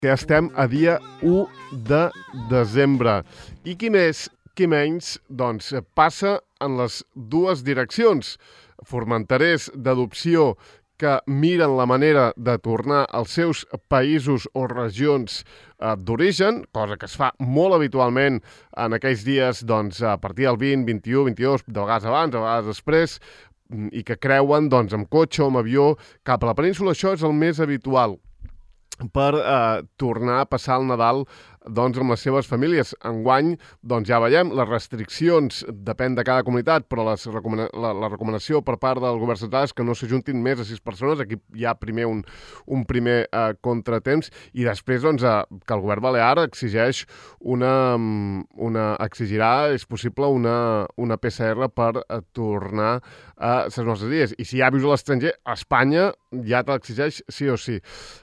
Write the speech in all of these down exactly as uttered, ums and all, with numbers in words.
que estem a dia u de desembre. I qui més, qui menys, doncs passa en les dues direccions. Formenterers d'adopció que miren la manera de tornar als seus països o regions eh, d'origen, cosa que es fa molt habitualment en aquells dies doncs, a partir del vint, vint-i-u, vint-i-dos, de vegades abans, de vegades després, i que creuen doncs, amb cotxe o amb avió cap a la península. Això és el més habitual per eh, tornar a passar el Nadal doncs, amb les seves famílies. Enguany, doncs, ja veiem, les restriccions depèn de cada comunitat, però les recomana la, la recomanació per part del govern central és que no s'ajuntin més de sis persones. Aquí hi ha primer un, un primer eh, contratemps i després doncs, eh, que el govern balear exigeix una, una exigirà, és possible, una, una P C R per eh, tornar a les nostres dies. I si ja vius a l'estranger, a Espanya ja te l'exigeix sí o sí.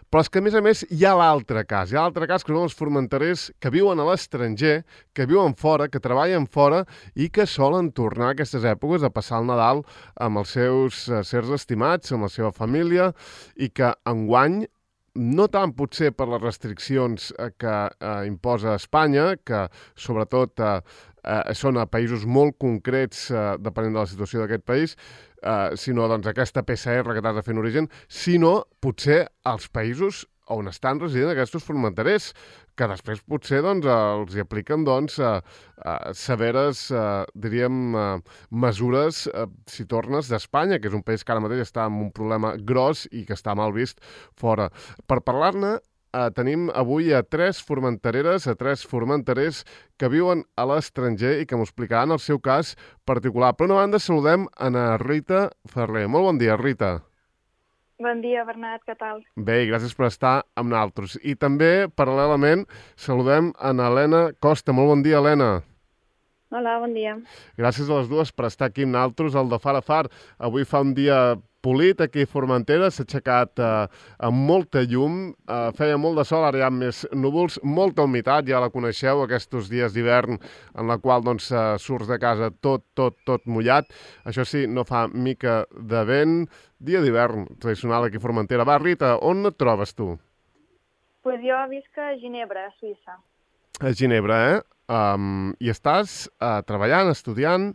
Però és que, a més a més, hi ha l'altre cas. Hi ha l'altre cas que són els formenterers que viuen a l'estranger, que viuen fora, que treballen fora i que solen tornar a aquestes èpoques a passar el Nadal amb els seus eh, sers estimats, amb la seva família, i que enguany, no tant potser per les restriccions eh, que eh, imposa Espanya, que sobretot eh, eh, són a països molt concrets, eh, depenent de la situació d'aquest país, eh, sinó doncs, aquesta P C R que t'has de fer en origen, sinó potser als països on estan residint aquests formenterers, que després potser doncs, els hi apliquen doncs, eh, eh, severes, eh, diríem, eh, mesures eh, si tornes d'Espanya, que és un país que ara mateix està amb un problema gros i que està mal vist fora. Per parlar-ne, eh, tenim avui a tres formentereres, a tres formenterers que viuen a l'estranger i que m'ho explicaran el seu cas particular. Per una banda, saludem a na Rita Ferrer. Molt bon dia, Rita. Bon dia, Bernat, què tal? Bé, i gràcies per estar amb nosaltres. I també, paral·lelament, saludem a Helena Costa. Molt bon dia, Helena. Hola, bon dia. Gràcies a les dues per estar aquí amb nosaltres al de Far a Far. Avui fa un dia polit aquí a Formentera, s'ha aixecat eh, amb molta llum, eh, feia molt de sol, ara hi ha més núvols, molta humitat, ja la coneixeu, aquests dies d'hivern en la qual doncs, eh, surts de casa tot, tot, tot mullat. Això sí, no fa mica de vent. Dia d'hivern tradicional aquí a Formentera. Va, Rita, on et trobes tu? Pues jo visc a Ginebra, a Suïssa. A Ginebra, eh? Um, I estàs uh, treballant, estudiant?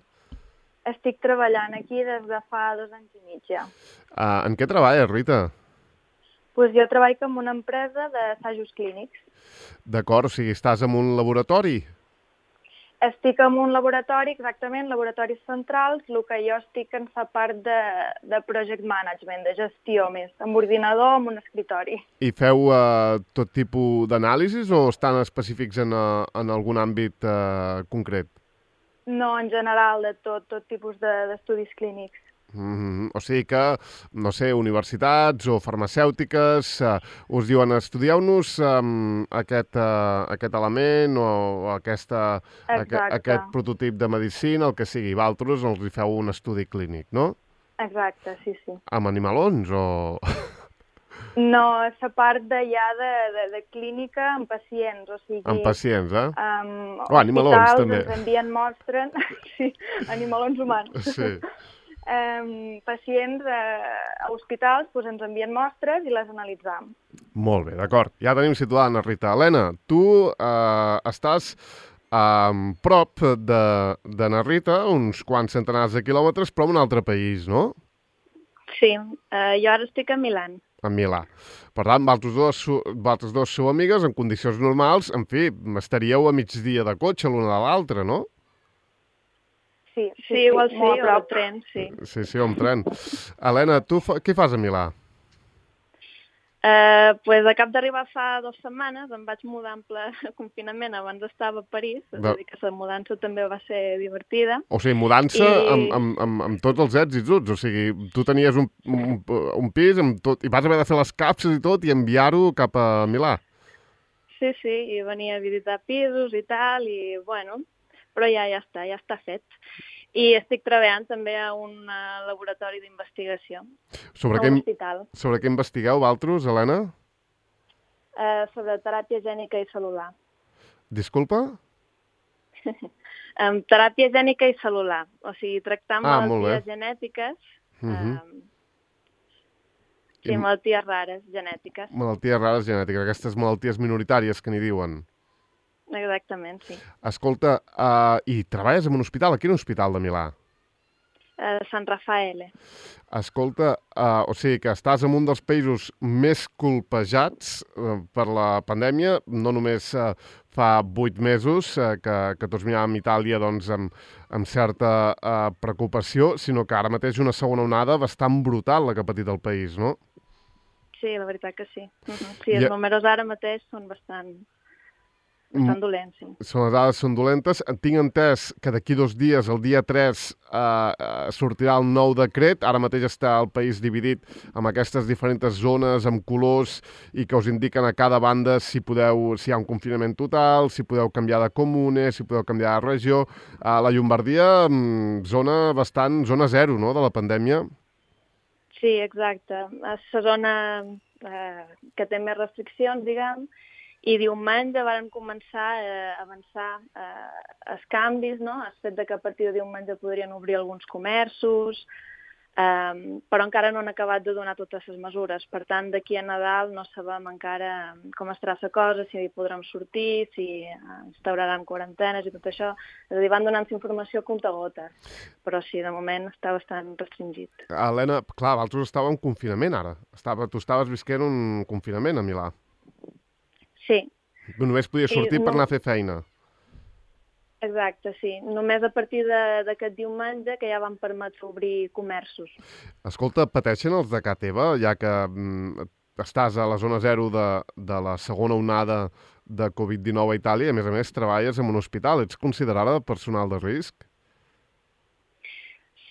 Estic treballant aquí des de fa dos anys i mig ja. Uh, en què treballes, Rita? Pues jo treballo en una empresa d'assajos clínics. D'acord, o sigui, estàs en un laboratori? Estic en un laboratori, exactament, laboratoris centrals, el que jo estic en la part de, de project management, de gestió més, amb ordinador, amb un escritori. I feu uh, tot tipus d'anàlisis o estan específics en, uh, en algun àmbit uh, concret? No, en general, de tot, tot tipus d'estudis de, clínics. Mm-hmm. O sigui que, no sé, universitats o farmacèutiques uh, us diuen estudieu-nos um, aquest, uh, aquest element o, o aquesta, aqu aquest prototip de medicina, el que sigui. Vosaltres els hi feu un estudi clínic, no? Exacte, sí, sí. Amb animalons o...? No, la part d'allà de, de, de clínica amb pacients, o sigui... Amb pacients, eh? Um, oh, animalons, també. Ens envien mostres, sí, animalons humans. Sí. Um, pacients uh, a hospitals doncs ens envien mostres i les analitzam. Molt bé, d'acord. Ja tenim situada, Ana Rita. Helena, tu uh, estàs a um, prop de, de na Rita, uns quants centenars de quilòmetres, però en un altre país, no? Sí, uh, jo ara estic a Milà. A Milà. Per tant, vosaltres dos, vosaltres dos sou amigues, en condicions normals, en fi, estaríeu a migdia de cotxe l'una de l'altra, no? Sí, sí, sí, igual sí, o amb tren, sí. Sí, sí, o amb tren. Helena, tu fa, què fas a Milà? Uh, pues, a cap d'arribar fa dues setmanes em vaig mudar en ple confinament, abans estava a París, és a dir que la mudança també va ser divertida. O sigui, mudança I... amb, amb, amb, amb tots els èxits, o sigui, tu tenies un, un, un pis amb tot, i vas haver de fer les capses i tot i enviar-ho cap a Milà. Sí, sí, i venia a visitar pisos i tal, i bueno, però ja ja està, ja està fet. I estic treballant també a un uh, laboratori d'investigació, a un hospital. Sobre què investigueu, vosaltres, Helena? Uh, sobre teràpia gènica i cel·lular. Disculpa? um, teràpia gènica i cel·lular, o sigui, tractar ah, malalties genètiques. Uh -huh. um, Sí, malalties rares, genètiques. Malalties rares genètiques, aquestes malalties minoritàries que n'hi diuen. Exactament, sí. Escolta, uh, i treballes en un hospital? A quin hospital de Milà? A Sant Rafael. Escolta, uh, o sigui que estàs en un dels països més colpejats uh, per la pandèmia, no només uh, fa vuit mesos uh, que, que tots miràvem Itàlia doncs, amb, amb certa uh, preocupació, sinó que ara mateix una segona onada bastant brutal la que ha patit el país, no? Sí, la veritat que sí. Uh -huh. Sí, els I... números ara mateix són bastant... Estan dolents, sí. Són les dades són dolentes. Tinc entès que d'aquí dos dies, el dia tres, eh, sortirà el nou decret. Ara mateix està el país dividit amb aquestes diferents zones, amb colors, i que us indiquen a cada banda si podeu, si hi ha un confinament total, si podeu canviar de comune, si podeu canviar de regió. A la Llombardia, zona bastant, zona zero, no?, de la pandèmia. Sí, exacte. És la zona eh, que té més restriccions, diguem, i diumenge varen començar a avançar eh, els canvis, no? El fet de que a partir de diumenge podrien obrir alguns comerços, eh, però encara no han acabat de donar totes les mesures. Per tant, d'aquí a Nadal no sabem encara com estarà la cosa, si podrem sortir, si instauraran quarantenes i tot això. És a dir, van donant informació a comptagotes, però sí, de moment està bastant restringit. Helena, clar, vosaltres estàveu en confinament ara. Estava, tu estaves visquent un confinament a Milà. Sí. Només podia sortir sí, per anar a fer feina. Exacte, sí. Només a partir d'aquest diumenge que ja van permetre obrir comerços. Escolta, pateixen els de ca teva, ja que mm, estàs a la zona zero de, de la segona onada de Covid dinou a Itàlia i, a més a més, treballes en un hospital. Ets considerada personal de risc?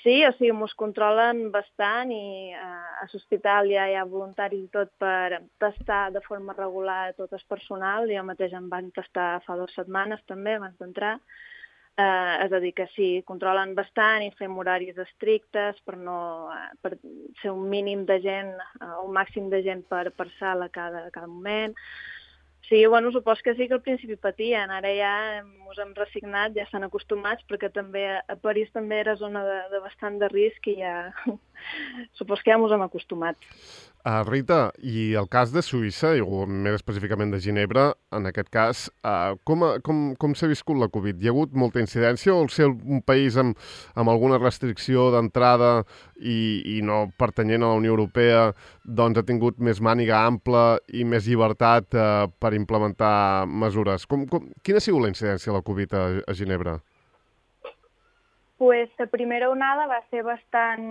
Sí, o sigui, mos controlen bastant i eh, a l'hospital ja hi ha voluntaris i tot per testar de forma regular tot el personal. Jo mateix em van testar fa dues setmanes també, abans d'entrar. Eh, és a dir, que sí, controlen bastant i fem horaris estrictes per, no, eh, per ser un mínim de gent, eh, un màxim de gent per, per sala a cada, a cada moment. Sí, bueno, supos que sí que al principi patien, ara ja ens hem resignat, ja estan acostumats, perquè també a París també era zona de, de bastant de risc i ja supos que ja ens hem acostumat. Uh, Rita, i el cas de Suïssa, o més específicament de Ginebra, en aquest cas, uh, com, com, com s'ha viscut la Covid? Hi ha hagut molta incidència o al ser un país amb, amb alguna restricció d'entrada i, i no pertanyent a la Unió Europea, doncs ha tingut més màniga ampla i més llibertat uh, per implementar mesures? Com, com, quina ha sigut la incidència de la Covid a, a Ginebra? Pues la primera onada va ser bastant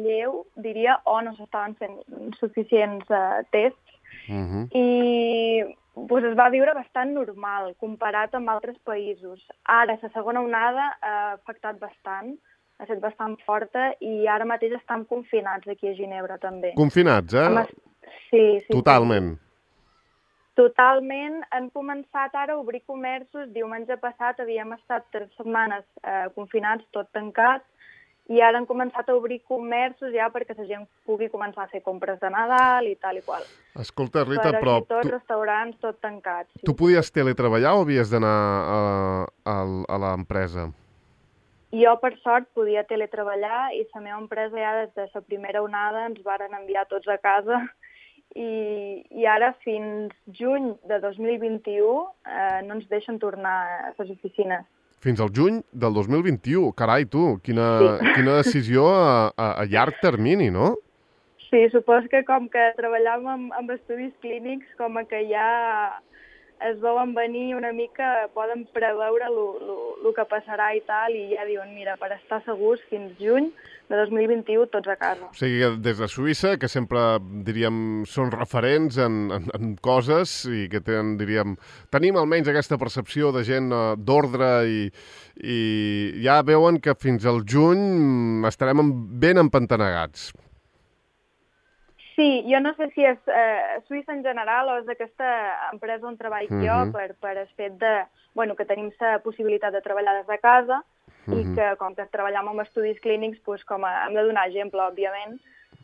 lleu, diria, o no s'estaven fent suficients uh, tests, uh-huh. i pues, es va viure bastant normal, comparat amb altres països. Ara, la segona onada ha afectat bastant, ha estat bastant forta, i ara mateix estan confinats aquí a Ginebra, també. Confinats, eh? Amb... Sí, sí. Totalment. Sí. Totalment. Han començat ara a obrir comerços. Diumenge passat havíem estat tres setmanes eh, confinats, tot tancat, i ara han començat a obrir comerços ja perquè la gent pugui començar a fer compres de Nadal i tal i qual. Escolta, Rita, però... però... Tots tu... restaurants, tot tancats. Sí. Tu podies teletreballar o havies d'anar a, a, a l'empresa? Jo, per sort, podia teletreballar i la meva empresa ja des de la primera onada ens varen enviar tots a casa. I, i ara fins juny de dos mil vint-i-u eh, no ens deixen tornar a les oficines. Fins al juny del dos mil vint-i-u? Carai, tu, quina, sí. quina decisió a, a, a llarg termini, no? Sí, suposo que com que treballàvem amb, amb estudis clínics, com que ja es veuen venir una mica, poden preveure el que passarà i tal, i ja diuen, mira, per estar segurs, fins juny de dos mil vint-i-u tots a casa. O sigui, des de Suïssa, que sempre, diríem, són referents en, en, en coses i que tenen, diríem, tenim almenys aquesta percepció de gent d'ordre i, i ja veuen que fins al juny estarem ben empantanegats. Sí, jo no sé si és eh, Suïssa en general o és aquesta empresa on treballo uh-huh. jo per, per el fet de, bueno, que tenim la possibilitat de treballar des de casa uh-huh. i que com que treballem amb estudis clínics, pues, com a, hem de donar exemple, òbviament,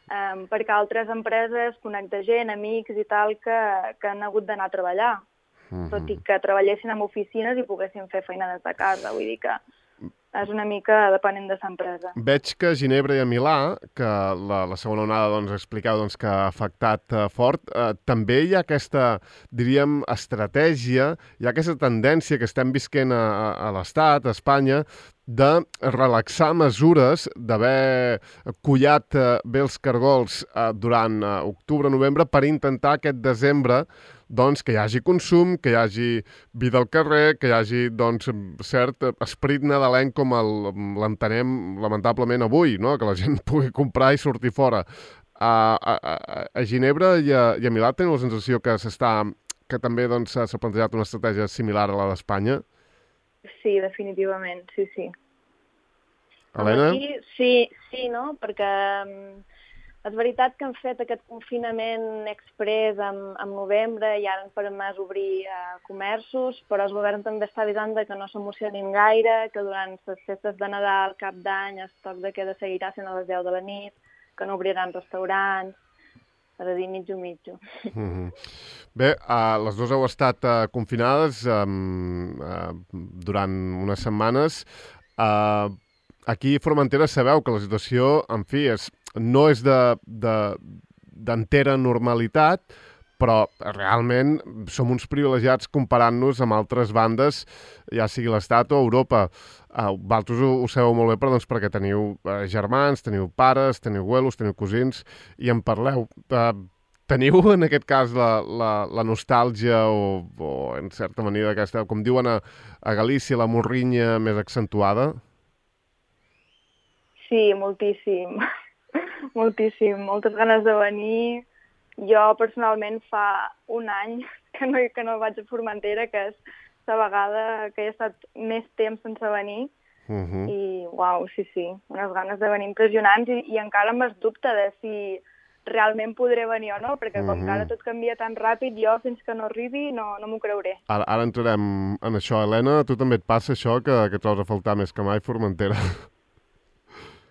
um, perquè altres empreses connecten gent, amics i tal, que, que han hagut d'anar a treballar, uh-huh. tot i que treballessin en oficines i poguessin fer feina des de casa, vull dir que és una mica depenent de l'empresa. Veig que a Ginebra i a Milà, que la, la segona onada doncs, explicava doncs, que ha afectat eh, fort, eh, també hi ha aquesta, diríem, estratègia, hi ha aquesta tendència que estem visquent a, a, a l'Estat, a Espanya, de relaxar mesures, d'haver collat eh, bé els cargols eh, durant eh, octubre-novembre per intentar aquest desembre doncs, que hi hagi consum, que hi hagi vida al carrer, que hi hagi doncs, cert esperit nadalenc com el- l'entenem lamentablement avui, no? Que la gent pugui comprar i sortir fora. A, a, a, a Ginebra i a, i a Milà tenen la sensació que s'està que també doncs, s'ha s'ha plantejat una estratègia similar a la d'Espanya. Sí, definitivament, sí, sí. Helena? Aquí sí, sí, no? Perquè um, és veritat que han fet aquest confinament express en, en novembre i ara han permès obrir uh, comerços, però el govern també està avisant de que no s'emocionin gaire, que durant les festes de Nadal, Cap d'Any, el toc de queda seguirà sent a les deu de la nit, que no obriran restaurants, és a dir, mitjo, mitjo. Mm -hmm. Bé, uh, les dues heu estat uh, confinades um, uh, durant unes setmanes. Uh, aquí a Formentera sabeu que la situació, en fi, és, no és de, de, d'entera normalitat, però realment som uns privilegiats comparant-nos amb altres bandes, ja sigui l'Estat o Europa. Uh, vosaltres ho, ho sabeu molt bé, però, doncs, perquè teniu uh, germans, teniu pares, teniu abuelos, teniu cosins, i en parleu. Uh, teniu, en aquest cas, la, la, la nostàlgia o, o, en certa manera, aquesta, com diuen a, a Galícia, la morrinya més accentuada? Sí, moltíssim, moltíssim, moltes ganes de venir. Jo personalment fa un any que no, que no vaig a Formentera, que és la vegada que he estat més temps sense venir. Uh -huh. I, uau, sí, sí, unes ganes de venir impressionants i, i encara amb el dubte de si realment podré venir o no, perquè com Uh-huh. que ara tot canvia tan ràpid, jo fins que no arribi no, no m'ho creuré. Ara, ara entrarem en això. Helena, a tu també et passa això, que, que trobes a faltar més que mai Formentera?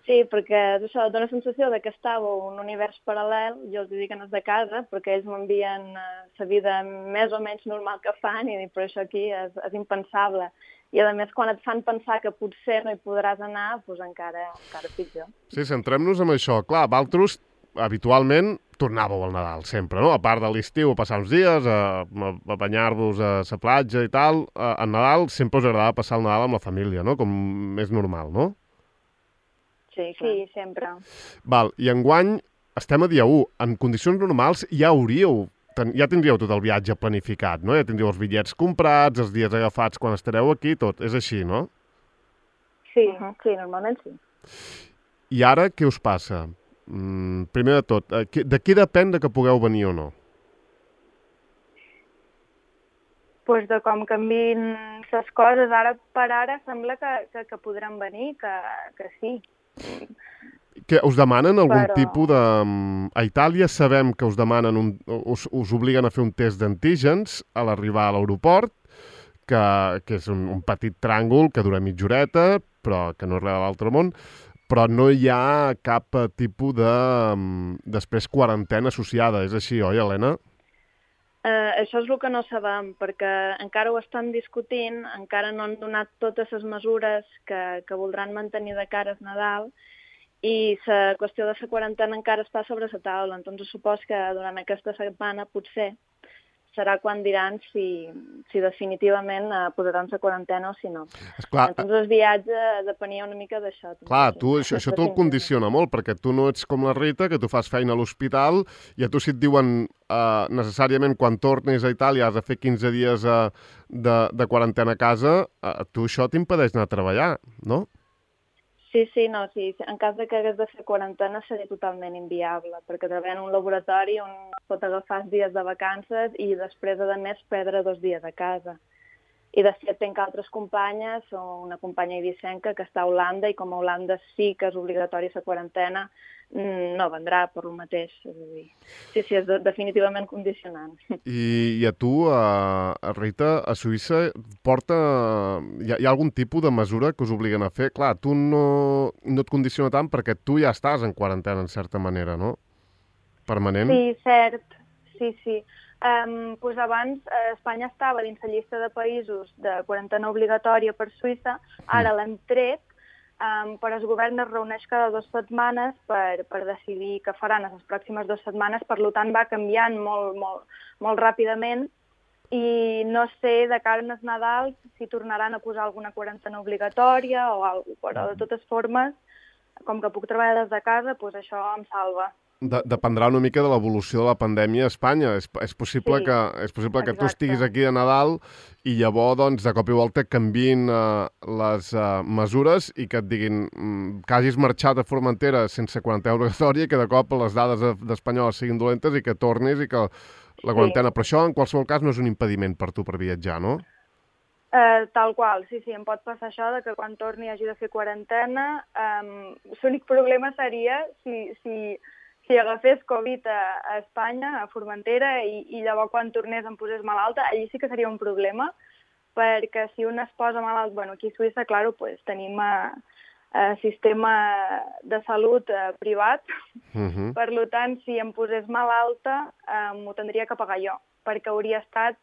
Sí, perquè és això, dona la sensació de que estava un univers paral·lel, jo els dic que no és de casa, perquè ells m'envien la vida més o menys normal que fan, i dic, però això aquí és, és impensable. I a més, quan et fan pensar que potser no hi podràs anar, doncs encara, encara pitjor. Sí, centrem-nos en això. Clar, vosaltres habitualment tornàveu al Nadal, sempre, no? A part de l'estiu, a passar uns dies, a, a banyar-vos a la platja i tal, a, a Nadal sempre us agrada passar el Nadal amb la família, no? Com més normal, no? Sí, sí, sempre. Val, i enguany estem a dia u. En condicions normals ja hauríeu, ten, ja tindríeu tot el viatge planificat, no? Ja tindríeu els bitllets comprats, els dies agafats quan estareu aquí, tot. És així, no? Sí, uh -huh. sí, normalment sí. I ara què us passa? Mm, primer de tot, de què depèn de que pugueu venir o no? Pues de com canvien les coses, ara per ara sembla que, que, que podran venir, que, que sí. Que us demanen algun Però... tipus de... A Itàlia sabem que us demanen, un, us, us obliguen a fer un test d'antígens a l'arribar a l'aeroport, que, que és un, un petit tràngol que dura mitja horeta, però que no és res de l'altre món, però no hi ha cap tipus de, després, quarantena associada. És així, oi, Helena? Uh, això és el que no sabem, perquè encara ho estan discutint, encara no han donat totes les mesures que, que voldran mantenir de cara al Nadal, i la qüestió de la quarantena encara està sobre la taula. Entonces supos que durant aquesta setmana potser serà quan diran si, si definitivament uh, posaran la quarantena o si no. Esclar, Entonces el viatge depenia una mica d'això. clar, tu, això, això te'l condiciona molt, perquè tu no ets com la Rita, que tu fas feina a l'hospital, i a tu si et diuen uh, necessàriament quan tornis a Itàlia has de fer quinze dies uh, de, de quarantena a casa, uh, tu això t'impedeix anar a treballar, no? Sí, sí, no, sí. En cas de que hagués de fer quarantena seria totalment inviable, perquè treballar en un laboratori on pot agafar dies de vacances i després, a més, perdre dos dies a casa. I de fet tinc altres companyes, o una companya ibicenca que està a Holanda, i com a Holanda sí que és obligatori la quarantena, no vendrà per el mateix. És a dir, sí, sí, és de, definitivament condicionant. I, i a tu, a, a Rita, a Suïssa, porta... Hi ha, hi ha algun tipus de mesura que us obliguen a fer? Clar, tu no, no et condiciona tant perquè tu ja estàs en quarantena, en certa manera, no? Permanent? Sí, cert. Sí, sí. Um, pues abans eh, Espanya estava dins la llista de països de quarantena obligatòria per Suïssa, ara l'hem tret um, però el govern es reuneix cada dues setmanes per, per decidir què faran les pròximes dues setmanes, per tant va canviant molt, molt, molt ràpidament i no sé de cara als Nadals si tornaran a posar alguna quarantena obligatòria o alguna cosa, però de totes formes, com que puc treballar des de casa, doncs això em salva. De, dependrà una mica de l'evolució de la pandèmia a Espanya. És, és possible, Sí, que, és possible que tu exacte. estiguis aquí de Nadal i llavors, doncs, de cop i volta canvin uh, les uh, mesures i que et diguin mm, que hagis marxat a Formentera sense quarantena obligatòria i que de cop les dades d'Espanyol siguin dolentes i que tornis i que la quarantena... Sí. Però això, en qualsevol cas, no és un impediment per tu per viatjar, no? Uh, tal qual, sí, sí, em pot passar això de que quan torni hagi de fer quarantena. Um, L'únic problema seria si... si si agafés Covid a, a Espanya, a Formentera, i, i llavors quan tornés em posés malalta, allí sí que seria un problema, perquè si un es posa malalt, bueno, aquí a Suïssa, clar, pues, tenim a, a sistema de salut a, privat, Uh-huh. per tant, si em posés malalta, eh, m'ho tindria que pagar jo, perquè hauria estat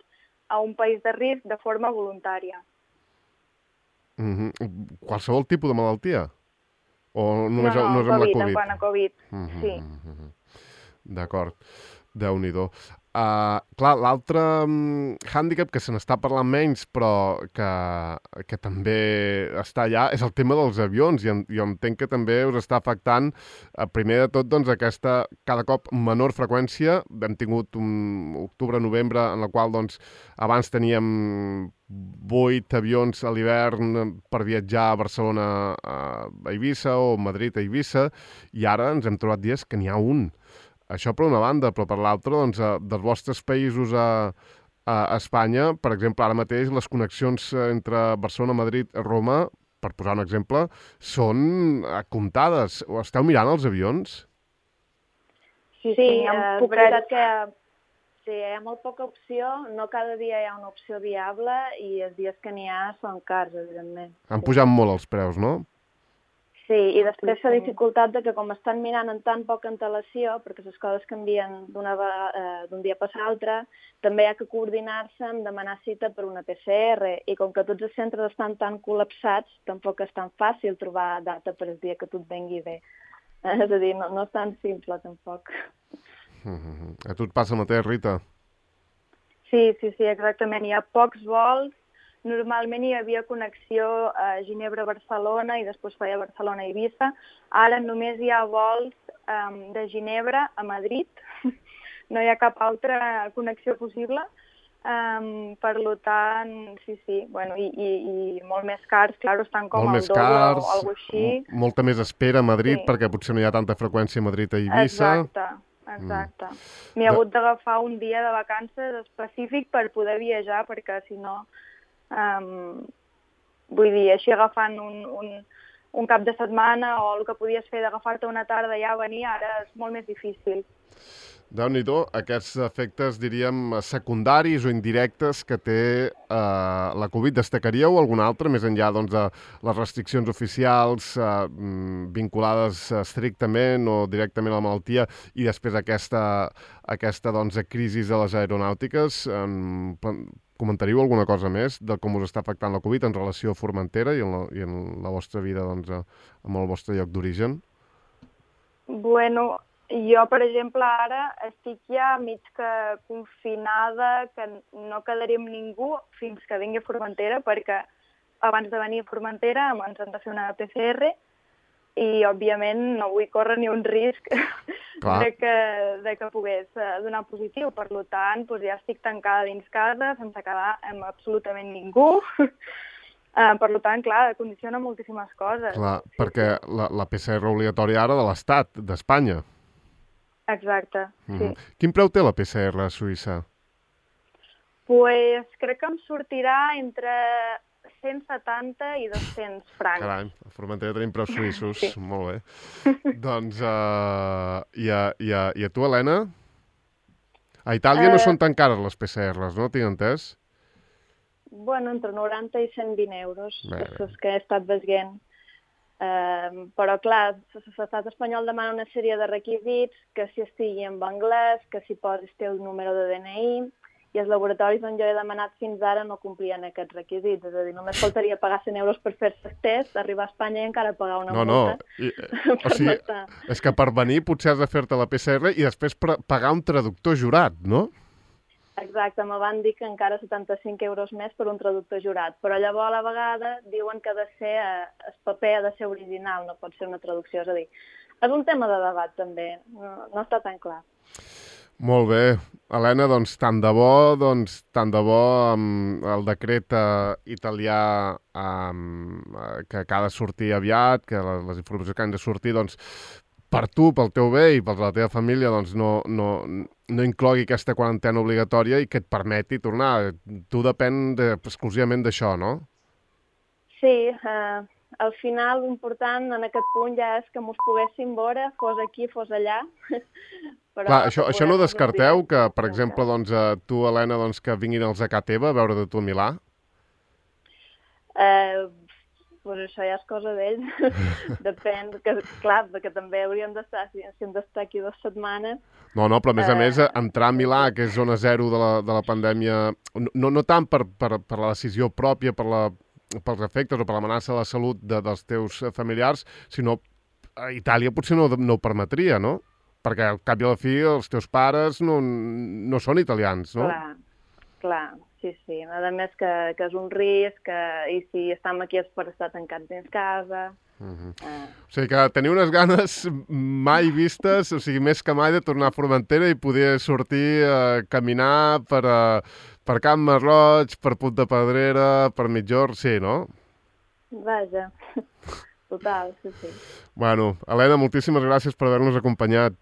a un país de risc de forma voluntària. Uh-huh. Qualsevol tipus de malaltia? O només, no, no, no és amb COVID, la Covid? en quant a Covid, Uh-huh. sí. Uh-huh. D'acord. Déu-n'hi-do. Uh, clar, l'altre um, hàndicap que se n'està parlant menys, però que, que també està allà, és el tema dels avions. I jo entenc que també us està afectant, uh, primer de tot, doncs, aquesta cada cop menor freqüència. Hem tingut un octubre-novembre en la qual, doncs, abans teníem vuit avions a l'hivern per viatjar a Barcelona a Eivissa o Madrid a Eivissa, i ara ens hem trobat dies que n'hi ha un. Això per una banda, però per l'altra, doncs, dels vostres països a, a Espanya, per exemple, ara mateix les connexions entre Barcelona, Madrid, Roma, per posar un exemple, són comptades. O esteu mirant els avions? Sí, sí, Sí, em és puc veritat que sí, hi ha molt poca opció, no cada dia hi ha una opció viable i els dies que n'hi ha són cars, evidentment. Han sí. pujat molt els preus, no? Sí, i després la dificultat de que com estan mirant en tan poca antelació, perquè les coses canvien d'una eh, d'un dia per l'altre, també hi ha que coordinar-se amb demanar cita per una P C R, i com que tots els centres estan tan col·lapsats, tampoc és tan fàcil trobar data per el dia que tot vengui bé. Eh, és a dir, no, no és tan simple, tampoc. Uh-huh. A tu et passa el mateix, Rita? Sí, sí, sí, exactament. Hi ha pocs vols. Normalment hi havia connexió a Ginebra-Barcelona i després feia Barcelona-Eivissa. Ara només hi ha vols um, de Ginebra a Madrid. No hi ha cap altra connexió possible. Um, per tant, sí, sí, bueno, i, i, i molt més cars, clar, estan com molt al doble cars, o alguna així. Molta més espera a Madrid, Sí. perquè potser no hi ha tanta freqüència a Madrid a Eivissa. Exacte, exacte. Mm. M'hi ha hagut d'agafar un dia de vacances específic per poder viatjar, perquè si no... Um, vull dir, així agafant un, un, un cap de setmana o el que podies fer d'agafar-te una tarda i ja venir, ara és molt més difícil. Déu-n'hi-do, aquests efectes, diríem, secundaris o indirectes que té eh, la Covid. Destacaríeu algun altre, més enllà doncs, de les restriccions oficials eh, vinculades estrictament o directament a la malaltia, i després aquesta, aquesta doncs, crisi de les aeronàutiques? Eh, comentaríeu alguna cosa més de com us està afectant la Covid en relació a Formentera i en la, i en la vostra vida, doncs, amb el vostre lloc d'origen? Bueno, jo, per exemple, ara estic ja mig que confinada, que no quedaré amb ningú fins que vingui a Formentera, perquè abans de venir a Formentera ens han de fer una P C R i, òbviament, no vull córrer ni un risc de que, de que pogués donar positiu. Per tant, doncs ja estic tancada dins casa, sense quedar amb absolutament ningú. Uh, per tant, clar, condiciona moltíssimes coses. Clar, sí, perquè sí. La, la P C R obligatòria ara de l'Estat, d'Espanya. Exacte, sí. Mm-hmm. Quin preu té la P C R a Suïssa? Pues crec que em sortirà entre cent setanta i dos-cents francs. Carai, a Formentera tenim preus suïssos. Sí. Molt bé. Doncs, uh, i, a, i, a, i a tu, Helena? A Itàlia uh... no són tan cares les P C Rs, no? Tinc entès? Bueno, entre noranta i cent vint euros, bé, bé. És que he estat veient. Uh, però, clar, l'estat espanyol demana una sèrie de requisits, que si estigui en anglès, que si posis el número de D N I, i els laboratoris on jo he demanat fins ara no complien aquests requisits. És a dir, només faltaria pagar cent euros per fer-se el test, arribar a Espanya i encara pagar una no, multa. No, I, o sigui, no és que per venir potser has de fer-te la P C R i després pagar un traductor jurat, no? Exacte, me van dir que encara setanta-cinc euros més per un traductor jurat, però llavors a la vegada diuen que ha de ser, el paper ha de ser original, no pot ser una traducció, és a dir, és un tema de debat també, no, no està tan clar. Molt bé. Helena, doncs tant de bo, doncs tant de bo um, el decret uh, italià um, uh, que, que ha de sortir aviat, que les, les informacions que han de sortir, doncs per tu, pel teu bé i per la teva família, doncs no, no, no inclogui aquesta quarantena obligatòria i que et permeti tornar. Tu depèn de, exclusivament d'això, no? Sí, eh, al final l'important en aquest punt ja és que mos poguéssim veure, fos aquí, fos allà. Però clar, això, això no descarteu que, per exemple, doncs, tu, Helena, doncs, que vinguin els a casa teva a veure de tu a Milà? Eh, pues això ja és cosa d'ells. Depèn, que, clar, que també hauríem d'estar, si hem d'estar aquí dues setmanes. No, no, però a més a més, entrar a Milà, que és zona zero de la, de la pandèmia, no, no tant per, per, per la decisió pròpia, per la, pels efectes o per l'amenaça de la salut de, dels teus familiars, sinó a Itàlia potser no, no ho permetria, no? Perquè al cap i a la fi els teus pares no, no són italians, no? Clar, clar, sí, sí. A més que, que és un risc, que, i si estem aquí és per estar tancats dins casa. Uh-huh. uh. O sigui que teniu unes ganes mai vistes, o sigui, més que mai de tornar a Formentera i poder sortir a caminar per, a, per Can Masroig, per Punt de Pedrera, per Mitjorn, sí, no? Vaja. Total, sí, sí. Bueno, Helena, moltíssimes gràcies per haver-nos acompanyat.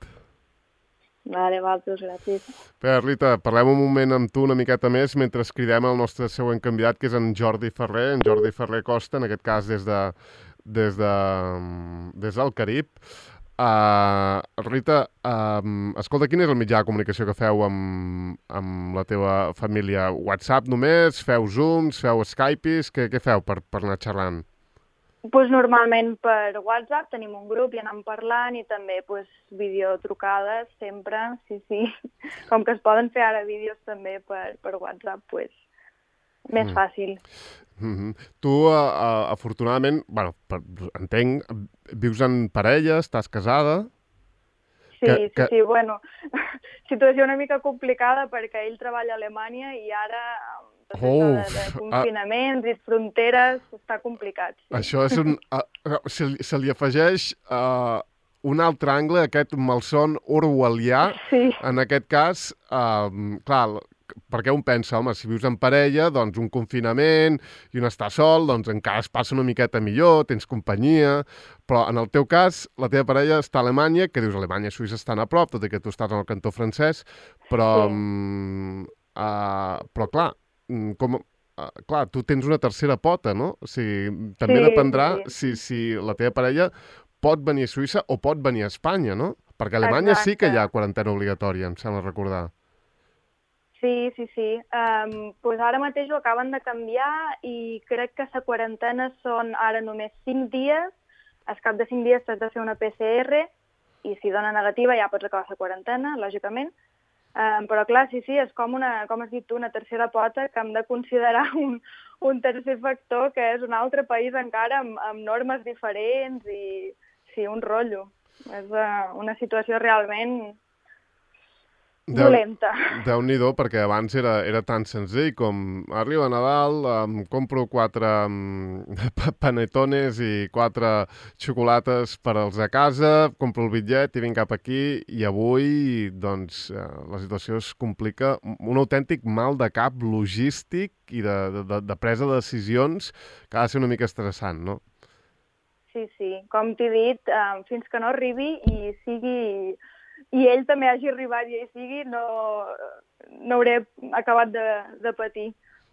Vale, vosaltres, gràcies. Bé, Rita, parlem un moment amb tu una miqueta més mentre cridem el nostre següent candidat, que és en Jordi Ferrer, en Jordi Ferrer Costa, en aquest cas des de des de des del Carib. Uh, Rita, uh, escolta, quin és el mitjà de comunicació que feu amb, amb la teva família? WhatsApp només? Feu Zooms? Feu Skypes? Què, què feu per, per anar xerrant? Pues normalment per WhatsApp tenim un grup i anem parlant i també pues, videotrucades sempre, sí, sí. Com que es poden fer ara vídeos també per, per WhatsApp, pues, més mm. fàcil. Mm-hmm. Tu, uh, uh, afortunadament, bueno, per, entenc, vius en parella, estàs casada? Sí, que, sí, que... sí, bueno, situació una mica complicada perquè ell treballa a Alemanya i ara... Oh, de, de confinaments uh, i fronteres, està complicat. Sí. Això és un... Uh, se, se li afegeix uh, un altre angle, aquest malson orwellià, sí. En aquest cas, uh, clar, perquè un pensa, home, si vius en parella, doncs un confinament i un estar sol, doncs encara es passa una miqueta millor, tens companyia, però en el teu cas, la teva parella està a Alemanya, que dius Alemanya i Suïssa estan a prop, tot i que tu estàs en el cantó francès, però, sí. um, uh, però clar, com, uh, clar, tu tens una tercera pota, no? O sigui, també sí, dependrà sí. Si, si la teva parella pot venir a Suïssa o pot venir a Espanya, no? Perquè a Alemanya Exacte. Sí que hi ha quarantena obligatòria, em sembla recordar. Sí, sí, sí. Um, pues ara mateix ho acaben de canviar i crec que la quarantena són ara només cinc dies. Al cap de cinc dies t'has de fer una P C R i si dona negativa ja pots acabar la quarantena, lògicament. Um, però clar, sí, sí, és com, una, com has dit tu, una tercera pota que hem de considerar un, un tercer factor que és un altre país encara amb, amb normes diferents i sí, un rotllo. És uh, una situació realment dolenta. Déu-n'hi-do, perquè abans era, era tan senzill com arriba Nadal, em compro quatre um, panetones i quatre xocolates per als a casa, compro el bitllet i vinc cap aquí, i avui doncs, eh, la situació es complica, un autèntic mal de cap logístic i de, de, de presa de decisions que ha de ser una mica estressant, no? Sí, sí, com t'he dit, eh, fins que no arribi i sigui... i ell també hagi arribat i ell sigui, no, no hauré acabat de, de patir,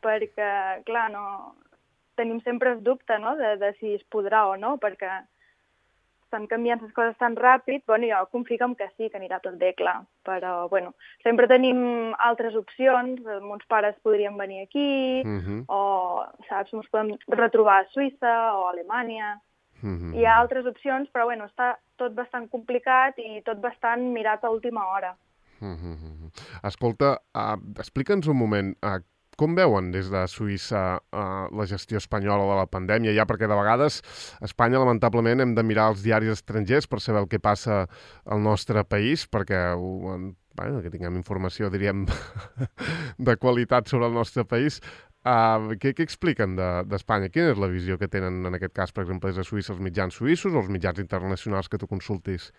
perquè, clar, no, tenim sempre el dubte, no?, de, de si es podrà o no, perquè estan canviant les coses tan ràpid. Bueno, jo confio que sí, que anirà tot bé, clar, però, bueno, sempre tenim altres opcions, mons pares podrien venir aquí, uh-huh. o, saps, ens podem retrobar a Suïssa o a Alemanya. Mm-hmm. Hi ha altres opcions, però bueno, està tot bastant complicat i tot bastant mirat a última hora. Mm-hmm. Escolta, uh, explica'ns un moment, uh, com veuen des de Suïssa uh, la gestió espanyola de la pandèmia? Ja perquè de vegades a Espanya, lamentablement, hem de mirar els diaris estrangers per saber el que passa al nostre país, perquè uh, bueno, que tinguem informació, diríem, de qualitat sobre el nostre país. Uh, què, què expliquen d'Espanya? De, Quina és la visió que tenen, en aquest cas, per exemple, des de Suïssa, els mitjans suïssos o els mitjans internacionals que tu consultis?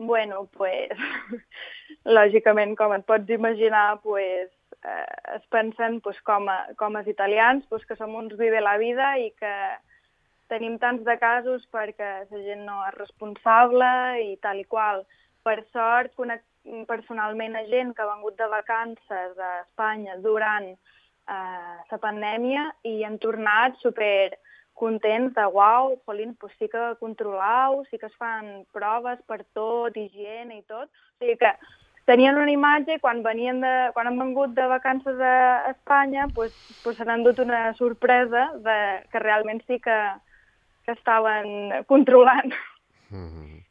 Bueno, pues, lògicament, com et pots imaginar, pues, eh, es pensen pues, com, a, com els italians, pues, que som uns vive la vida i que tenim tants de casos perquè la gent no és responsable i tal i qual. Per sort, conec personalment a gent que ha vengut de vacances a Espanya durant eh, la pandèmia i han tornat super contents de, uau, jolín, pues sí que controlau, sí que es fan proves per tot, higiene i tot. O sigui que tenien una imatge i quan, venien de, quan han vengut de vacances a Espanya pues, pues s'han endut una sorpresa de que realment sí que, que estaven controlant. Mm-hmm.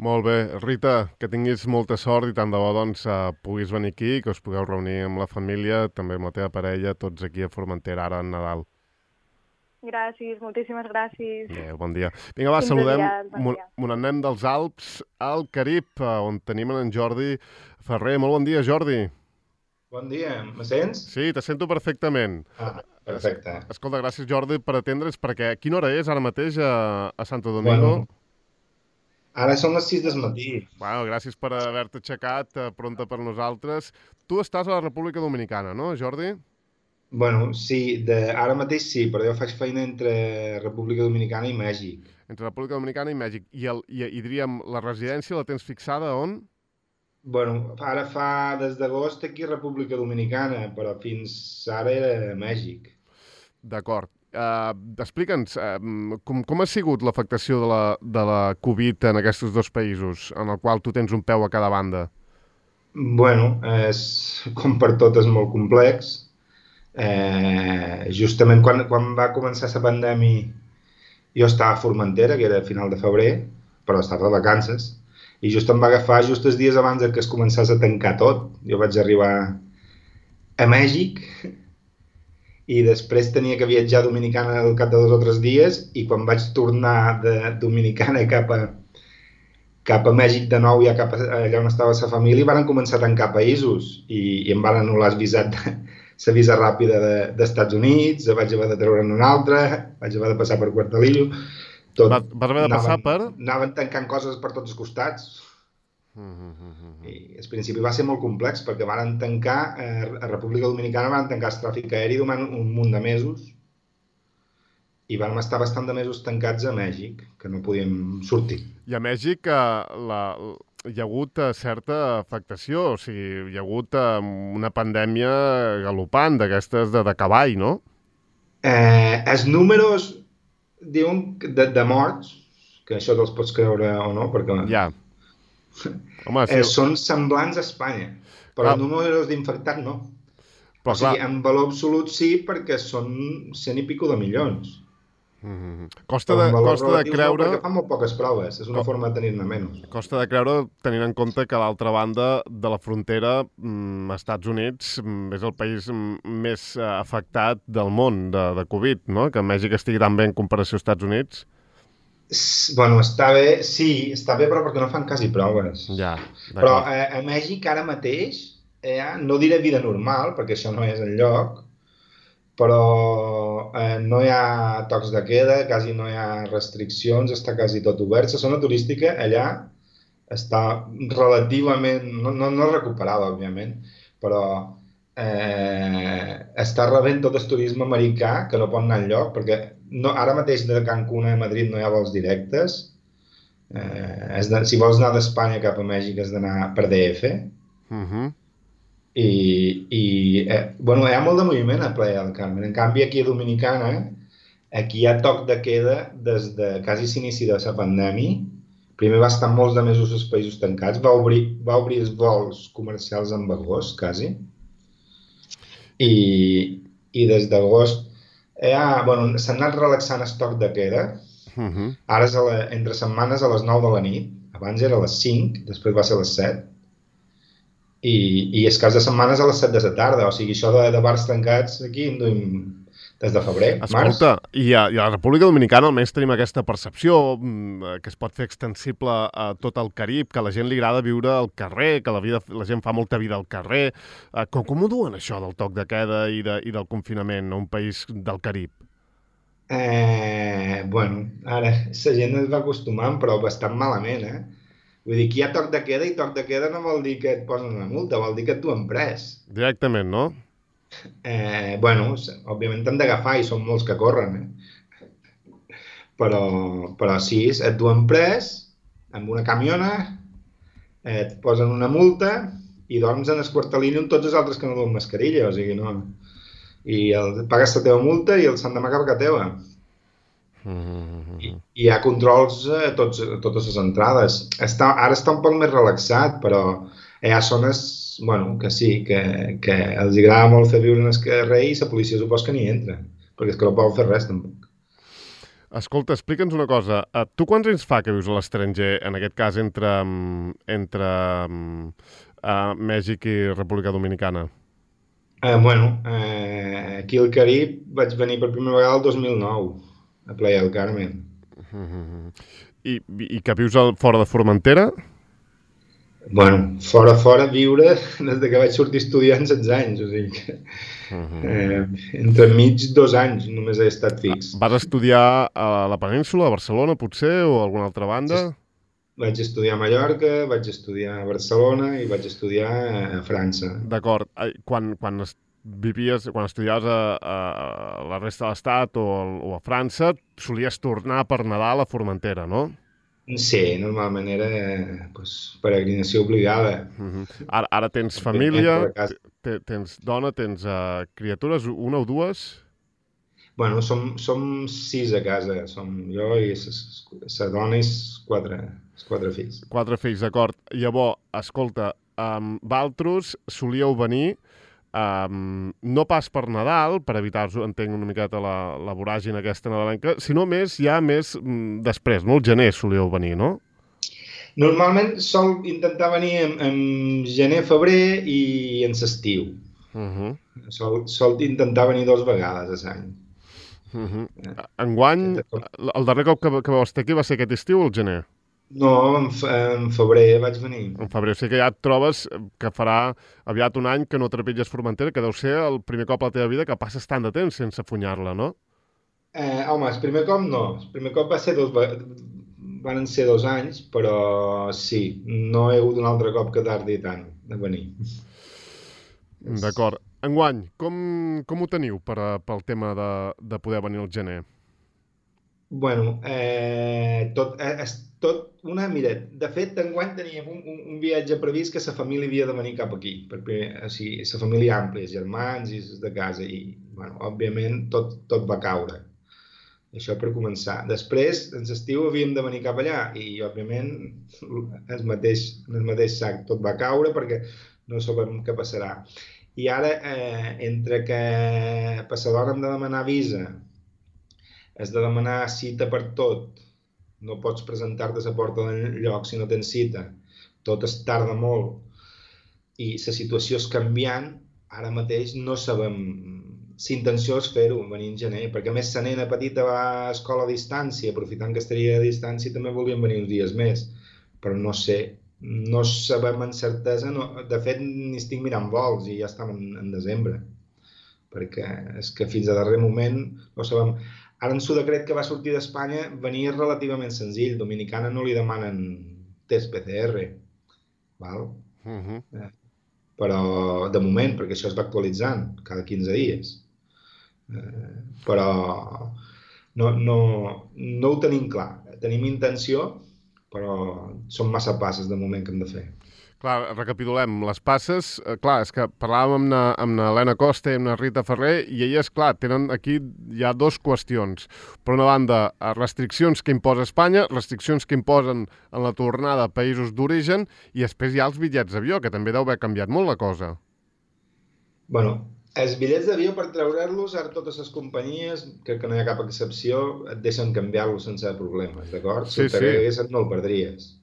Molt bé. Rita, que tinguis molta sort i tant de bo doncs, uh, puguis venir aquí, que us pugueu reunir amb la família, també amb la teva parella, tots aquí a Formentera ara en Nadal. Gràcies, moltíssimes gràcies. Adéu, bon dia. Vinga, va, saludem, bon mon anem dels Alps al Carib, on tenim en Jordi Ferrer. Molt bon dia, Jordi. Bon dia, me sents? Sí, te sento perfectament. Ah, perfecte. Es, escolta, gràcies, Jordi, per atendre's, perquè quina hora és ara mateix a, a Santo Domingo? Bueno, ara són les sis del matí. Bueno, gràcies per haver-te aixecat uh, pronta per nosaltres. Tu estàs a la República Dominicana, no, Jordi? Bueno, sí, de, ara mateix sí, però jo faig feina entre República Dominicana i Mèxic. Entre República Dominicana i Mèxic. I, el, i, i diríem, la residència la tens fixada on? Bueno, ara fa des d'agost aquí a República Dominicana, però fins ara era a Mèxic. D'acord. Uh, Explica'ns, uh, com, com ha sigut l'afectació de, la, de la Covid en aquests dos països, en el qual tu tens un peu a cada banda? Bueno, és, com per tot és molt complex. Eh, justament quan, quan va començar la pandèmia jo estava a Formentera, que era a final de febrer, però estava de vacances, i just em va agafar just els dies abans que es començés a tancar tot. Jo vaig arribar a Mèxic i després tenia que viatjar a Dominicana al cap de dos o tres dies i quan vaig tornar de Dominicana cap a, cap a Mèxic de nou, ja cap a, allà on estava la família, van començar a tancar països i, i em van anul·lar el visat de, la visa ràpida dels Estats Units, vaig haver de treure'n una altra, vaig haver de passar per Cuartelillo. Tot, vas, vas haver de passar anaven, per? Anaven tancant coses per tots els costats. Mm-hmm. I al principi va ser molt complex perquè van tancar, eh, a República Dominicana van tancar el tràfic aeri durant un munt de mesos i vam estar bastant de mesos tancats a Mèxic, que no podíem sortir. I a Mèxic eh, la... hi ha hagut certa afectació, o sigui, hi ha hagut una pandèmia galopant d'aquestes de, de cavall, no? Eh, els números diuen de, de morts, que això te'ls pots creure o no, perquè ja. Home, eh, sí. Són semblants a Espanya, però ah. els números d'infectats no. Però, o sigui, clar. En valor absolut sí, perquè són cent i pico de milions. Mm-hmm. Costa de, costa de creure... No, perquè fan molt poques proves, és una Co... forma de tenir-ne menys. Costa de creure, tenint en compte que a l'altra banda de la frontera, mm, Estats Units mm, és el país més eh, afectat del món de, de Covid, no? Que Mèxic estigui tan bé en comparació als Estats Units. Bueno, està bé, sí, està bé, però perquè no fan quasi proves. Ja, però eh, a Mèxic ara mateix, eh, no diré vida normal, perquè això no és el lloc, però eh, no hi ha tocs de queda, quasi no hi ha restriccions, està quasi tot obert. La zona turística allà està relativament, no, no, no recuperada, òbviament, però eh, està rebent tot el turisme americà, que no pot anar enlloc, perquè no, ara mateix de Cancún a Madrid no hi ha vols directes. Eh, és de, si vols anar d'Espanya cap a Mèxic has d'anar per D F. Uh-huh. I, i eh, bueno, hi ha molt de moviment a Playa del Carmen. En canvi, aquí a Dominicana, aquí hi ha toc de queda des de quasi l'inici de la pandèmia. Primer va estar molts de mesos els països tancats, va obrir, va obrir els vols comercials en agost, quasi. I, i des d'agost eh, ah, bueno, s'ha anat relaxant el toc de queda. Uh-huh. Ara és a la, entre setmanes a les nou de la nit. Abans era a les cinc, després va ser a les set. I, i és cas de setmanes a les set de la tarda, o sigui, això de, de bars tancats aquí en duim des de febrer, març. Escolta, i a, i a la República Dominicana almenys tenim aquesta percepció que es pot fer extensible a tot el Carib, que a la gent li agrada viure al carrer, que la, vida, la gent fa molta vida al carrer. Com, com ho duen això del toc de queda i, de, i del confinament a un país del Carib? Eh, bueno, ara la gent es va acostumant, però bastant malament, eh? Vull dir, que hi ha toc de queda i toc de queda no vol dir que et posen una multa, vol dir que et duen pres. Directament, no? Eh, bueno, òbviament t'han d'agafar i són molts que corren, eh? Però, però sí, et duen pres amb una camiona, et posen una multa i dorms en el quartelini amb tots els altres que no duen mascarilla, o sigui, no... I el, pagues la teva multa i el s'han d'amagar perquè teva. I, i hi ha controls a, tots, a totes les entrades. Està, ara està un poc més relaxat, però hi ha zones, bueno, que sí, que, que els agrada molt fer viure en el carrer i la policia supos que n'hi entra, perquè és que no poden fer res tampoc. Escolta, explica'ns una cosa. Tu quants anys fa que vius a l'estranger, en aquest cas entre, entre uh, Mèxic i República Dominicana? Eh, bueno, eh, aquí al Carib vaig venir per primera vegada el dos mil nou, a Playa del Carmen. I, i que vius al, fora de Formentera? Bueno, fora, fora, viure des que vaig sortir estudiant setze anys, o sigui que eh, entre mig dos anys només he estat fix. Vas estudiar a la península, a Barcelona, potser, o a alguna altra banda? Vaig estudiar a Mallorca, vaig estudiar a Barcelona i vaig estudiar a França. D'acord. Quan, quan vivies, quan estudiaves a, a la resta de l'Estat o, o a França, solies tornar per Nadal a Formentera, no? Sí, normalment era pues, peregrinació obligada. Uh -huh. Ara, ara tens família, tens dona, tens uh, criatures, una o dues? Bueno, som, som sis a casa, som jo i la dona i quatre, quatre fills. Quatre fills, d'acord. Llavors, escolta, um, vosaltres solíeu venir um, no pas per Nadal, per evitar-vos, entenc una miqueta la, la voràgina aquesta nadalenca, sinó més, ja més mm, després, no? El gener solíeu venir, no? Normalment sol intentar venir en, en gener, febrer i en l'estiu. Uh -huh. sol, sol intentar venir dues vegades a l'any. Uh -huh. Enguany, el darrer cop que, que vau estar aquí va ser aquest estiu o el gener? No, en, en febrer vaig venir. En febrer, o sigui que ja et trobes que farà aviat un any que no trepitges Formentera, que deu ser el primer cop a la teva vida que passes tant de temps sense funyar-la, no? Eh, home, el primer cop no. El primer cop va ser dos, van ser dos anys, però sí, no he hagut un altre cop que tardi tant de venir. D'acord. Enguany, com, com ho teniu per a, pel tema de, de poder venir al gener? Bueno, eh, tot, és tot una... Mira, de fet, enguany teníem un, un, un viatge previst que la família havia de venir cap aquí, perquè, o sigui, la família àmplia, els germans i de casa, i, bueno, òbviament, tot, tot va caure. Això per començar. Després, en l'estiu havíem de venir cap allà i, òbviament, el mateix, el mateix sac, tot va caure perquè no sabem què passarà. I ara, eh, entre que passador hem de demanar visa, has de demanar cita per tot, no pots presentar-te a la porta del lloc si no tens cita, tot es tarda molt i la situació és canviant, ara mateix no sabem si intenció és fer-ho, venir en gener, perquè a més la nena petita va a escola a distància, aprofitant que estaria a distància també volíem venir uns dies més, però no sé, no sabem amb certesa, no, de fet ni estic mirant vols i ja estem en, en desembre, perquè és que fins a darrer moment no sabem. Ara en el decret que va sortir d'Espanya venia relativament senzill, Dominicana no li demanen test P C R, val? Uh -huh. eh, però de moment, perquè això es va actualitzant cada quinze dies, eh, però no, no, no ho tenim clar, tenim intenció, però són massa passes de moment que hem de fer. Clar, recapitulem, les passes, eh, clar, és que parlàvem amb l'Helena Costa i amb la Rita Ferrer i elles, clar, tenen aquí hi ha dues qüestions. Per una banda, restriccions que imposa Espanya, restriccions que imposen en la tornada a països d'origen i després hi ha els bitllets d'avió, que també deu haver canviat molt la cosa. Bueno, els bitllets d'avió per treure-los, ara totes les companyies, crec que no hi ha cap excepció, et deixen canviar-los sense problemes, d'acord? Si sí, el t'agradessin, sí. No el perdries.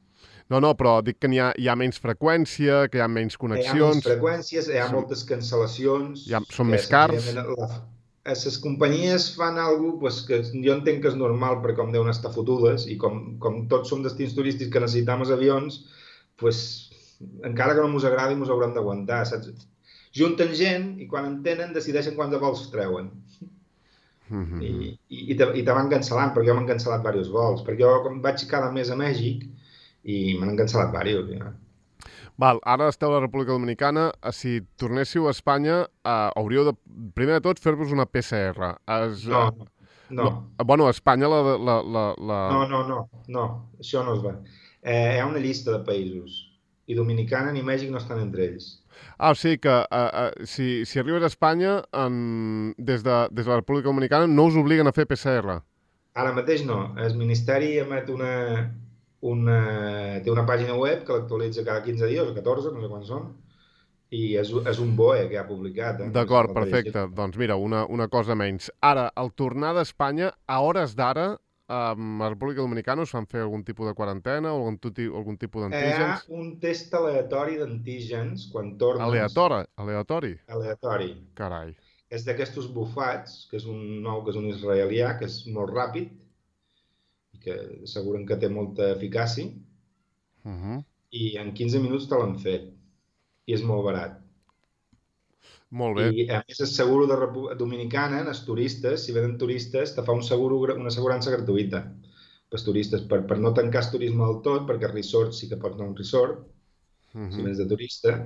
No, no, però dic que hi ha, hi ha menys freqüència, que hi ha menys connexions... Hi ha menys freqüències, hi ha moltes cancel·lacions... Ha, són més cars... La, les companyies fan alguna cosa pues, que jo entenc que és normal perquè com deuen estar fotudes i com, com tots som destins turístics que necessitem els avions, pues, encara que no ens agradi ens haurem d'aguantar, saps? Junten gent i quan en tenen decideixen quants vols treuen. Mm-hmm. I, i, i te, i te van cancel·lant, perquè jo m'han cancel·lat diversos vols, perquè jo vaig cada mes a Mèxic i m'han cancel·lat diversos. Ja. Val, ara esteu a la República Dominicana. Si tornéssiu a Espanya, eh, hauríeu de, primer de tot, fer-vos una P C R. Es, no, no, no. Bueno, a Espanya la, la, la, la... No, no, no, no, això no es va. Eh, hi ha una llista de països, i Dominicana ni Mèxic no estan entre ells. Ah, o sigui que uh, uh, si, si arribes a Espanya, en, des, de, des de la República Dominicana, no us obliguen a fer P C R? Ara mateix no. El Ministeri emet una... Una, té una pàgina web que l'actualitza cada quinze dies, o catorze, no sé quants són, i és, és un B O E que ha publicat. Eh? D'acord, perfecte. Doncs mira, una, una cosa menys. Ara, al tornar d'Espanya, a hores d'ara, a la República Dominicana us fan fer algun tipus de quarantena o algun, algun tipus d'antígens? Hi ha un test aleatori d'antígens quan tornes. Aleatori? Aleatori? Aleatori. Carai. És d'aquestos bufats, que és un nou, que és un israelià, que és molt ràpid, que asseguren que té molta eficàcia, uh-huh. i en quinze minuts te l'han fet. I és molt barat. Molt bé. I a més el seguro de Repu- Dominicana, els turistes, si venen turistes, te fa un seguro, una assegurança gratuïta pels turistes, per, per no tancar el turisme del tot, perquè el resort sí que pots anar a un resort, uh-huh. si vens de turista,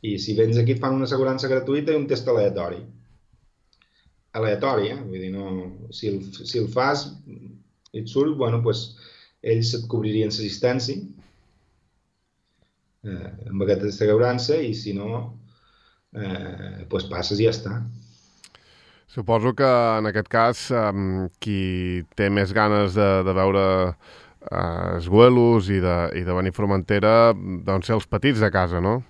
i si vens aquí et fan una assegurança gratuïta i un test aleatori. Aleatori, eh? Vull dir, no... Si el, si el fas... i et surt, bueno, doncs ells et cobririen l'assistència eh, amb aquesta assegurança i si no, eh, doncs passes i ja està. Suposo que en aquest cas eh, qui té més ganes de, de veure eh, els vuelos i de, i de venir a Formentera, doncs ser els petits de casa, no?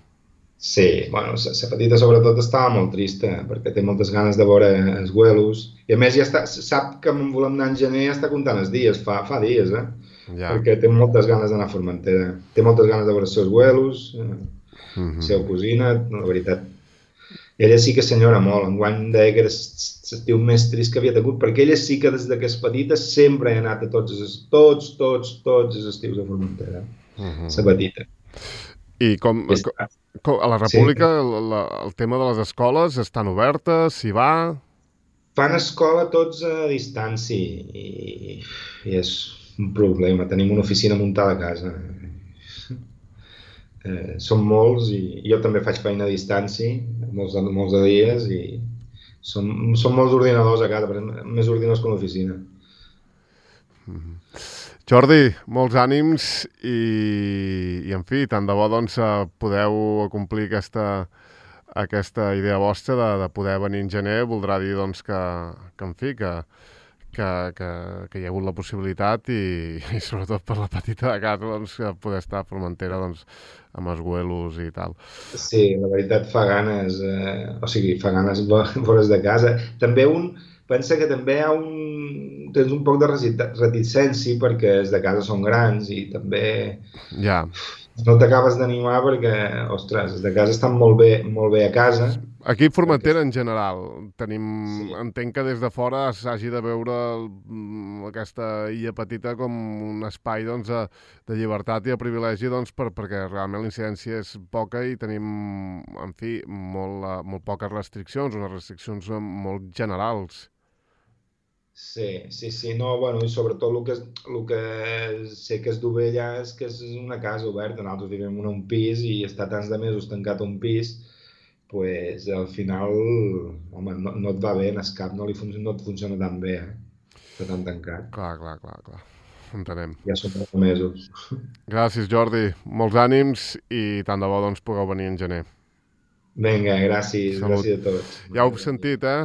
Sí, bueno, la petita sobretot estava molt trista, perquè té moltes ganes de veure els vuelos. I a més ja està, sap que en volem anar en gener i està comptant els dies, fa, fa dies, eh? Ja. Perquè té moltes ganes d'anar a Formentera. Té moltes ganes de veure els seus vuelos, eh? Mm-hmm. La seva cosina, la veritat. I ella sí que senyora molt. Enguany deia que era l'estiu més trist que havia tingut, perquè ella sí que des que és petita sempre ha anat a tots, tots, tots, tots els estius a Formentera. Mm-hmm. La petita. I com... com a la República sí. la, el tema de les escoles estan obertes, s'hi va? Fan escola tots a distància i, i és un problema. Tenim una oficina muntada a casa. Eh, som molts i jo també faig feina a distància, molts, molts de dies, i som, som molts ordinadors a casa, però més ordinadors que una oficina. Mm-hmm. Jordi, molts ànims i, i en fi, tant de bo doncs, podeu complir aquesta, aquesta idea vostra de, de poder venir en gener. Voldrà dir doncs, que, que, en fi, que, que, que, que hi ha hagut la possibilitat i, i sobretot per la petita de casa doncs, poder estar a Formentera doncs, amb els vuelos i tal. Sí, la veritat fa ganes, eh, o sigui, fa ganes veure's de casa. També un pensa que també hi ha un tens un poc de reticència perquè els de casa són grans i també ja. no t'acabes d'animar perquè, ostres, els de casa estan molt bé, molt bé a casa. Aquí a Formentera, en general, tenim, sí. entenc que des de fora s'hagi de veure aquesta illa petita com un espai doncs, de, de llibertat i de privilegi doncs, per, perquè realment la incidència és poca i tenim, en fi, molt, molt poques restriccions, unes restriccions molt generals. Sí, sí, sí, no, bueno, i sobretot el que, el que sé que es du bé allà és que és una casa oberta, nosaltres vivim en un pis i estar tants de mesos tancat a un pis, pues al final, home, no, no et va bé, en el cap no, li fun no et funciona tan bé, eh? Estar tan tancat. Clar, clar, clar, clar, entenem. Ja són molts mesos. Gràcies, Jordi, molts ànims i tant de bo doncs pugueu venir en gener. Vinga, gràcies, Salut. Gràcies a tots. Ja ho heu sentit, eh?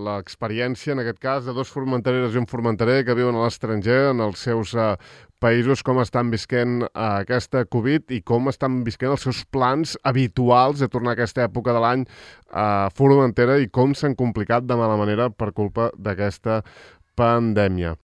L'experiència, en aquest cas, de dos formentereres i un formenterer que viuen a l'estranger, en els seus eh, països, com estan visquent eh, aquesta Covid i com estan visquent els seus plans habituals de tornar a aquesta època de l'any a Formentera i com s'han complicat de mala manera per culpa d'aquesta pandèmia.